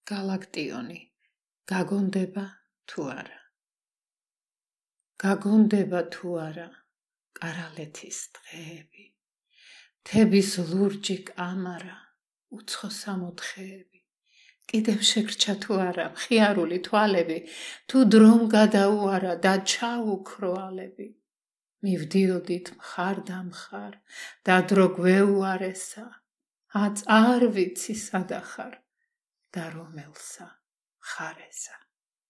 გალაქტიონი, გაგონდება თუ არა? გაგონდება თუ არა კარალეთის დღეები, მთების ლურჯი კამარა, უცხო სამოთხეები, კიდევ შეგრჩა თუ არა მხიარული თვალები, თუ დრომ გადაუარა და ჩაუქრო ალები, მივდიოდით მხარ და მხარ და დრო გვეუარესა, აწ არ ვიცი სადახარ და რომელსა მხარესა.